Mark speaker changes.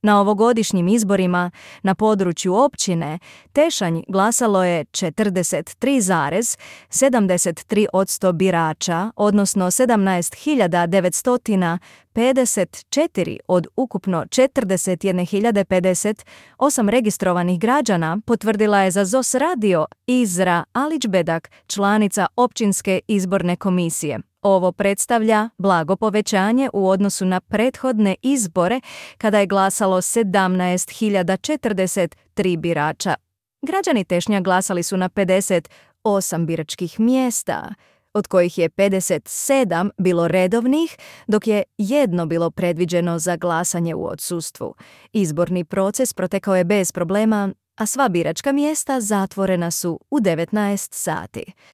Speaker 1: Na ovogodišnjim izborima na području općine Tešanj glasalo je 43,73% birača, odnosno 17.954 od ukupno 41.058 registrovanih građana, potvrdila je za ZOS radio Izra Alićbedak, članica općinske izborne komisije. Ovo predstavlja blago povećanje u odnosu na prethodne izbore kada je glasalo 17.043 birača. Građani Tešnja glasali su na 58 biračkih mjesta, od kojih je 57 bilo redovnih, dok je jedno bilo predviđeno za glasanje u odsustvu. Izborni proces protekao je bez problema, a sva biračka mjesta zatvorena su u 19 sati.